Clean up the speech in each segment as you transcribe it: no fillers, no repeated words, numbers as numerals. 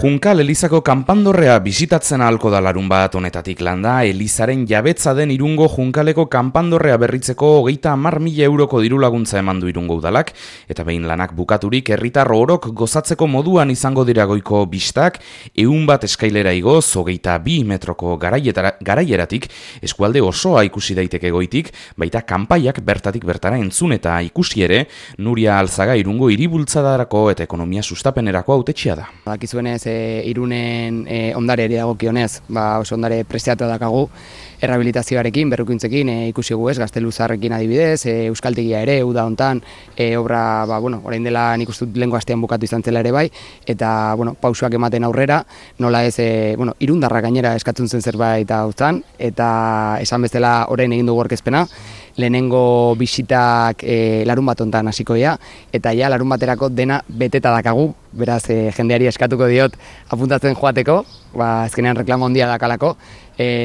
Junkal Elizako kanpandorrea bisitatzen ahalko da larunbat honetatik landa, Elizaren jabetza den Irungo Junkaleko kanpandorrea berritzeko 30.000 euroko diru laguntza eman du Irungo udalak, eta behin lanak bukaturik herritar orok gozatzeko moduan izango dira goiko bistak, 100 eskailera igoz, 22 metroko garaieratik, eskualde osoa ikusi daiteke goitik, baita kanpaiak bertatik bertara entzun eta ikusi ere, Nuria Alzaga Irungo hiribultzadarako eta ekonomia sustapenerako hautetxea da. Dakizuenez, Irunen ondareari dagokionez, oso ondare prestiatua dakagu, errehabilitazioarekin, berrikuntzekin, ikusi gu ez, Gazteluzarrekin adibidez, Euskaltegia ere, uda hontan, obra, orain dela nik uste dut lehengo astean bukatu izan zela ere bai, eta, pausoak ematen aurrera, nola ez, Irundarra gainera eskatzen zen zerbait hautzan, eta esan bezala orain egin dugu aurkezpena, lehenengo bisitak larun bat hontan hasiko dira, eta ja larun baterako dena beteta dakagu, beraz jendeari eskatuko diot apuntatzen joateko, azkenean reklamo handia dakalako,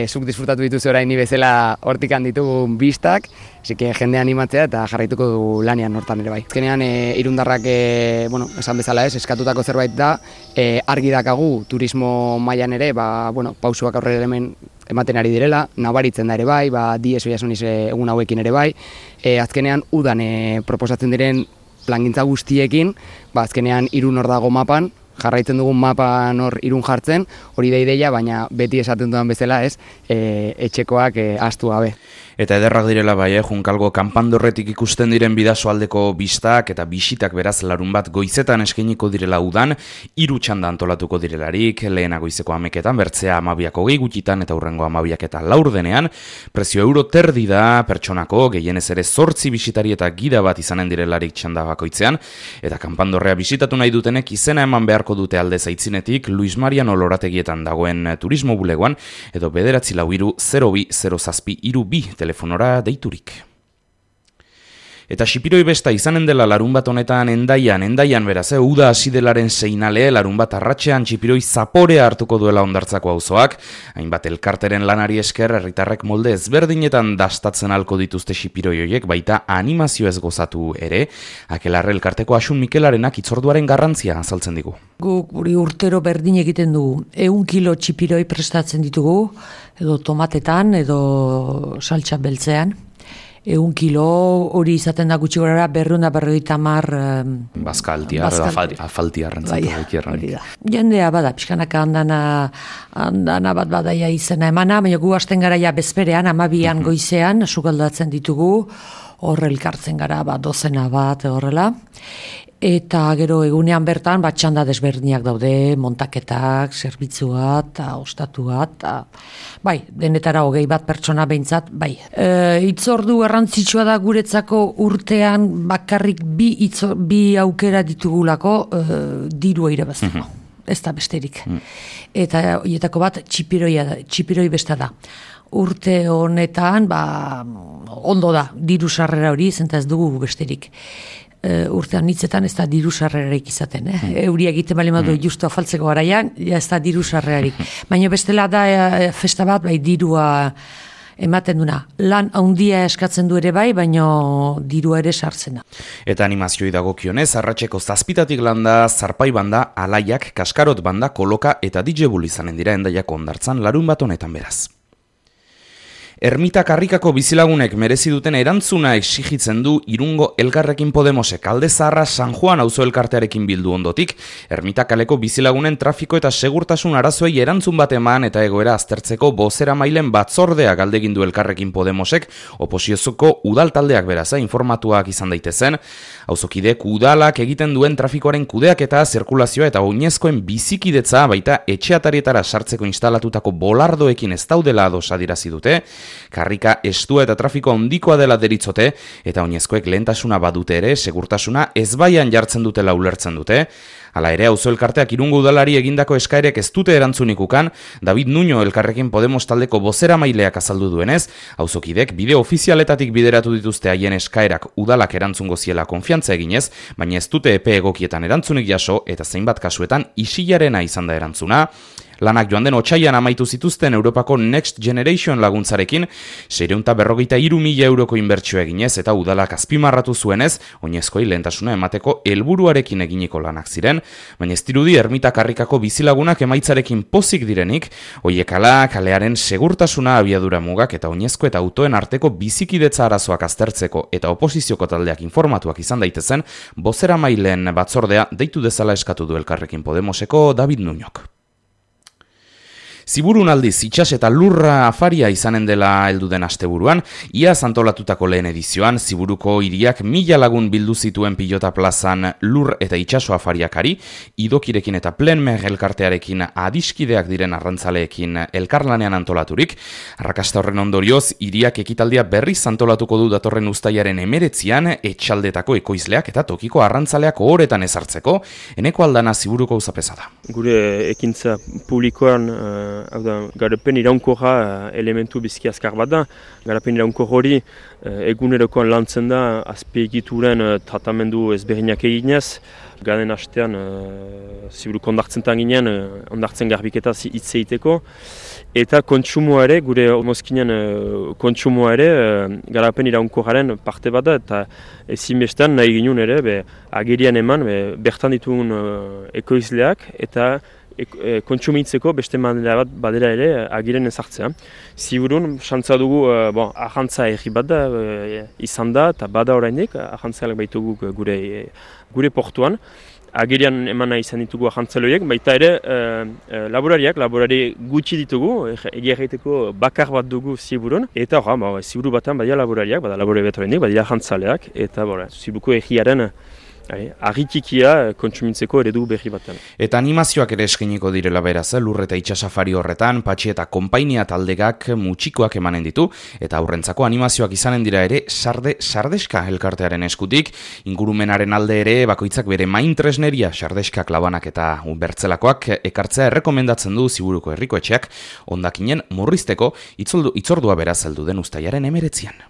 zuk disfrutatu dituzu orain ni bezala hortikan ditugun bistak, asike jendea animatzea eta jarraituko du lanean hortan ere bai. Azkenean Irundarrak, esan bezala ez, eskatutako zerbait da, argi dakagu turismo mailan ere, pausuak aurrera hemen ematen ari direla, nabaritzen da ere bai, Diez Oiasuniz egun hauekin ere bai, azkenean udan proposatzen diren plangintza guztiekin, azkenean Irun hor dago mapan, jarraitzen dugun mapan hor Irun jartzen, hori da ideia, baina beti esaten dudan bezala ez, etxekoak ahaztu gabe. Eta ederrak direla bai, Junkalgo kanpandorretik ikusten diren bidasoaldeko bistak eta bisitak beraz larun bat goizetan eskainiko direla udan, 3 txanda antolatuko direlarik, lehena goizeko 11etan, bertzea 12 gutitan eta hurrengo 12 laurdenean, prezio euro terdi da pertsonako, gehienez ere 8 bisitari eta gida bat izanen direlarik txanda bakoitzean, eta kanpandorrea bisitatu nahi dutenek izena eman beharko dute alde zaitzinetik, Luis Mariano Lorategietan dagoen turismo bulegoan, edo 942-0207-32 telefonora deiturik. Eta Xipiroi besta izanen dela larun bat honetan endaian beraz, uda hasidelaren seinale, larun bat arratsean Xipiroi zaporea hartuko duela Hondartzako auzoak, hainbat elkarteren lanari esker herritarrek molde ezberdinetan dastatzen halko dituzte Xipiroi horiek, baita animazio ez gozatu ere, Akelarre elkarteko Asun Mikelarenak hitzorduaren garrantzia azaltzen digu. Guk guri urtero berdin egiten dugu, 100 kilo Xipiroi prestatzen ditugu, edo tomatetan, edo saltsa beltzean. 100 kilo hori izaten da gutxi gorara 250 bazkaltia, afaltia rentzatu. Jendea bada, pixkanaka andana bat badaia izena emana, baina gu hasten gara ja bezperean, 12an goizean, sukaldatzen ditugu, hor elkartzen gara, dozena bat horrela. Eta gero egunean bertan txanda desberdinak daude, montaketak, zerbitzua eta ostatua, bai, denetara 20 pertsona behintzat, bai. Hitzordu garrantzitsua da guretzako urtean bakarrik bi aukera ditugulako dirua irabazteko. Ez da besterik. Eta horietako bat Xipiroi besta da. Urte honetan, ondo da, diru sarrera hori, zenta ez dugu besterik. Urtean hitzetan ez da diru sarrerarik izaten. Euria egiten bali madu justu afaltzeko garaian, ez da diru sarrerarik. Baina bestela da festa bat, dirua ematen duna. Lan handia eskatzen du ere bai, baina dirua ere sartzen da. Eta animazioi dagokionez, arratseko 7 landa, Zarpai banda, Alaiak, Kaskarot banda, Koloka eta DJ Bull izanen dira Endaiako Hondartzan larun bat honetan beraz. Ermita Karrikako bizilagunek merezi duten erantzuna exigitzen du Irungo Elkarrekin Podemosek Alde Zaharra San Juan auzo elkartearekin bildu ondotik, Ermita kaleko bizilagunen trafiko eta segurtasun arazoei erantzun bat eman eta egoera aztertzeko bozeramailen batzordea galdegin du Elkarrekin Podemosek, oposizioko udal taldeak beraz, informatuak izan daitezen, auzokidek udalak egiten duen trafikoaren kudeak eta zirkulazioa eta oinezkoen bizikidetza baita etxeatarietara sartzeko instalatutako bolardoekin ez daudela ados adierazi dute, Karrika estua eta trafiko handikoa dela deritzote, eta oinezkoek lehentasuna badute ere, segurtasuna ezbaian jartzen dutela ulertzen dute. Hala ere, auzo elkarteak Irungo udalari egindako eskaerek ez dute erantzunik ukan, David Nuño Elkarrekin Podemos taldeko bozeramaileak azaldu duenez, auzokidek bide ofizialetatik bideratu dituzte haien eskaerak udalak erantzungo ziela konfiantza eginez, baina ez dute epe egokietan erantzunik jaso eta zeinbat kasuetan isilarena izan da erantzuna. Lanak joan den otsaian amaitu zituzten Europako Next Generation laguntzarekin 653.000 euroko inbertsio eginez eta udalak azpimarratu zuenez, oinezkoi lehentasuna emateko helburuarekin eginiko lanak ziren, baina ez dirudi ermita karrikako bizilagunak emaitzarekin pozik direnik, hoiekala kalearen segurtasuna abiadura mugak eta oinezko eta autoen arteko bizikidetza arazoak aztertzeko eta oposizioko taldeak informatuak izan daitezen, bozeramaileen batzordea deitu dezala eskatu du Elkarrekin Podemoseko David Nuñok. Ziburun aldiz, itxas eta lurra afaria izanen dela heldu den asteburuan, iaz antolatutako lehen edizioan, Ziburuko hiriak 1000 lagun bildu zituen pilota plazan lur eta itxaso afariakari, idokirekin eta plenmer elkartearekin adiskideak diren arrantzaleekin elkarlanean antolaturik, arrakasta horren ondorioz, hiriak ekitaldia berriz antolatuko du datorren uztailaren 19an, etxaldetako ekoizleak eta tokiko arrantzaleak ohoretan ezartzeko, Eneko Aldana Ziburuko uzapeza da. Gure ekintza publikoan hau da, garapen iraunkorra elementu bizki azkar bat da. Garapen iraunkor hori egunerokoan lantzen da azpiegituren tratamendu ezberdinak eginez. Gaden hastean Ziburuko ondartzentan ginen, ondartzen garbiketa hitz egiteko. Eta kontsumoa ere, gure mozkinen kontsumoa ere, garapen iraunkorraren parte bat da. Eta ezinbestean nahi ginen ere, agerian eman, bertan ditugun ekoizleak eta kontsumitzeko beste manera bat badera ere agiren ezartzea. Ziburun, xantza dugu, ahantza erri bat da izan da, eta bada orainik, ahantzalak baitugu gure portuan. Agerian emana izan ditugu ahantzaloiek, baita ere laborari gutxi ditugu, egia egiteko bakar bat dugu Ziburun, eta Ziburu batan badia laborariak, bada laborari bat orainik, badia ahantzaleak, eta Ziburuko egiaren argitikia kontsumitzeko eredu berri batean. Eta animazioak ere eskainiko direla beraz, lur eta itsasafari horretan, Patxi eta konpainia taldegak mutxikoak emanen ditu, eta aurrentzako animazioak izanen dira ere sardeska elkartearen eskutik, ingurumenaren alde ere bakoitzak bere main tresneria sardeskak labanak eta bertzelakoak ekartzea errekomendatzen du Ziburuko herrikoetxeak, hondakinen murrizteko itzordua beraz heldu den uztailaren 19an.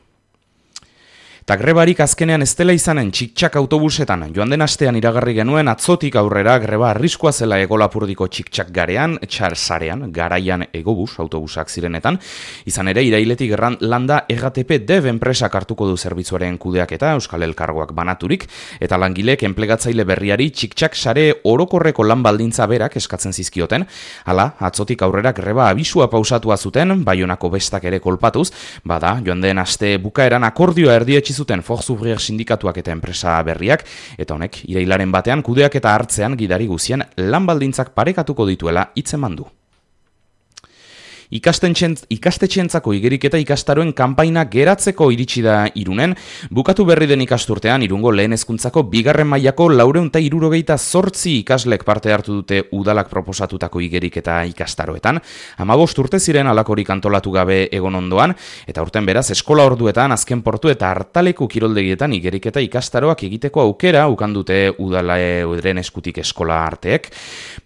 Eta grebarik azkenean ez dela izanen txik-txak autobusetan, joan den astean iragarri genuen atzotik aurrera greba arriskua zela Egolapurdiko txik-txak sarean, garaian egobus autobusak zirenetan, izan ere irailetik landa EGATP Dev enpresak hartuko du zerbitzuaren kudeaketa Euskal Elkargoak banaturik, eta langileek enplegatzaile berriari txik-txak sare orokorreko lan baldintza berak eskatzen zizkioten, hala, atzotik aurrera greba abisua pausatua zuten, Baionako bestak ere kolpatuz, bada, joan den aste bukaeran akordioa erdietsi zuten Forzubrir sindikatuak eta enpresa berriak, eta honek, irailaren batean kudeak eta hartzean gidari guzien lan baldintzak parekatuko dituela hitzeman du. Ikastetxeentzako igerik eta ikastaroen kanpaina geratzeko iritsi da Irunen, bukatu berri den ikasturtean Irungo lehen hezkuntzako 2. mailako 468 ikaslek parte hartu dute udalak proposatutako igerik eta ikastaroetan, 15 urte ziren alakorik antolatu gabe egon ondoan, eta urten beraz eskola orduetan, azken portu eta hartaleku kiroldegietan igerik eta ikastaroak egiteko aukera ukandute udalen eskutik eskola arteek,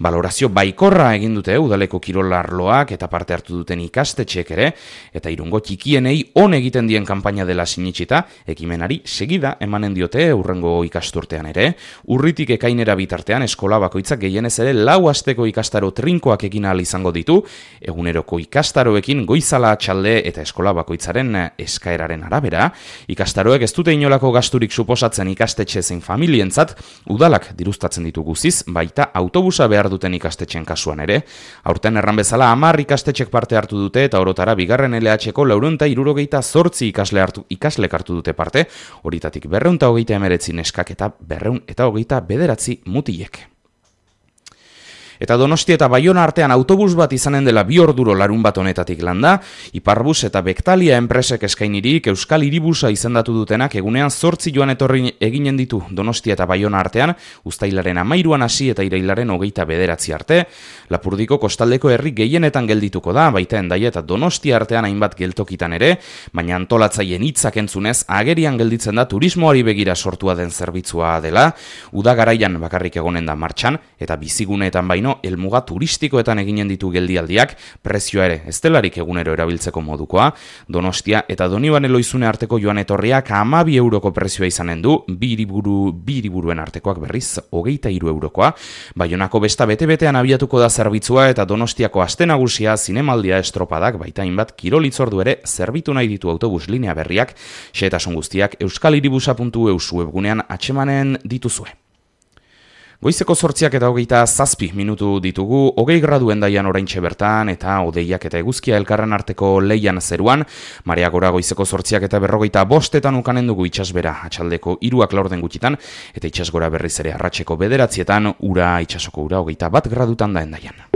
balorazio baikorra egin dute udaleko kirolarloak eta parte hartu duten ikastetxeek ere, eta Irungo txikienei on egiten dien kanpaina dela sinitsita, ekimenari segida emanen diote hurrengo ikasturtean ere, urritik ekainera bitartean eskola bakoitzak gehienez ere 4 asteko ikastaro trinkoak egin ahal izango ditu, eguneroko ikastaroekin goizala atxalde eta eskola bakoitzaren eskaeraren arabera, ikastaroek ez dute inolako gasturik suposatzen ikastetxe zein familientzat, udalak diruztatzen ditu guziz, baita autobusa behar duten ikastetxen kasuan ere, aurten erran bezala 10 ikastetxek parte hartu dute eta orotara 2. LH-ko 468 ikaslek hartu dute parte, horitatik 229 neskak eta 229 mutilek. Eta Donostia eta Baiona artean autobus bat izanen dela 2 orduro larun bat honetatik landa, Iparbus eta Bektalia enpresek eskainirik Euskal Hiribusa izendatu dutenak egunean 8 joan etorri eginen ditu Donostia eta Baiona artean, uztailaren 13an hasi eta irailaren 29 arte, Lapurdiko kostaldeko herri gehienetan geldituko da, baita Hendaia eta Donostia artean hainbat geltokitan ere, baina antolatzaien hitzak entzunez agerian gelditzen da turismoari begira sortua den zerbitzua dela, uda garaian bakarrik egonen da martxan, eta biziguneetan baino baino helmuga turistikoetan eginen ditu geldialdiak, prezioa ere ez delarik egunero erabiltzeko modukoa. Donostia eta Donibane Loizune arteko joan etorriak 12 euroko prezioa izanen du, bi hiriburuen artekoak berriz 23 eurokoa. Baionako besta bete-betean abiatuko da zerbitzua eta Donostiako aste nagusia zinemaldia estropadak baita hainbat kirolitzordu ere zerbitu nahi ditu autobus linea berriak, xehetasun guztiak euskalhiribusa.eus webgunean atsemanen dituzue. Goizeko 8:27 minutu ditugu, 20 gradu Hendaian oraintxe bertan eta hodeiak eta eguzkia elkarren arteko leian zeruan, marea gora goizeko 8:45 ukanen dugu itsasbera atxaldeko 3:00 gutxitan eta itsasgora berriz ere arratseko 9:00 ura itsasoko ura 21 gradutan da Hendaian.